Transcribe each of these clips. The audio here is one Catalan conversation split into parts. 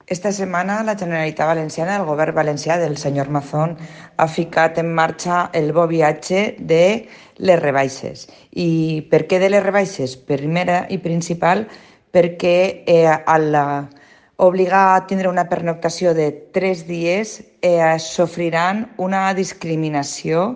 Esta setmana la Generalitat Valenciana, el govern valencià del senyor Mazón, ha ficat en marxa el bo viatge de les rebaixes. I per què de les rebaixes? Primera i principal, perquè al obligar a tindre una pernoctació de 3 dies sofriran una discriminació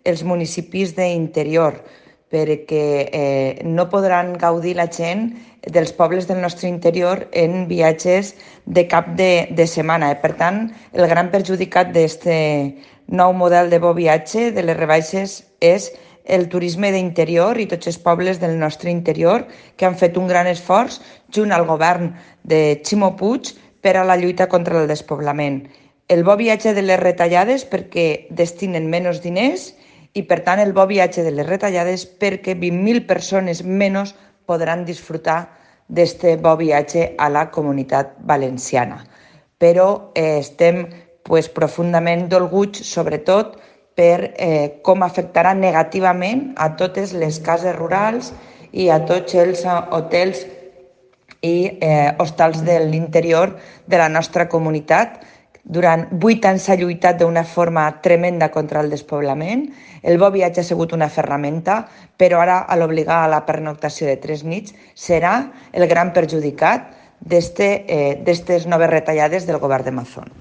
els municipis d'interior, perquè no podran gaudir la gent dels pobles del nostre interior en viatges de cap de setmana. Per tant, el gran perjudicat d'aquest nou model de bo viatge de les rebaixes és el turisme d'interior i tots els pobles del nostre interior que han fet un gran esforç junt al govern de Ximo Puig per a la lluita contra el despoblament. El bo viatge de les retallades perquè destinen menys diners i, per tant, el bo viatge de les retallades perquè 20.000 persones menys podran disfrutar d'aquest bo viatge a la Comunitat Valenciana. Però estem profundament dolguts, sobretot, per com afectarà negativament a totes les cases rurals i a tots els hotels i hostals de l'interior de la nostra comunitat. Durant 8 anys s'ha lluitat d'una forma tremenda contra el despoblament. El bo viatge ha sigut una ferramenta, però ara, a l'obligar a la pernoctació de 3 nits, serà el gran perjudicat d'aquestes noves retallades del govern de Mazón.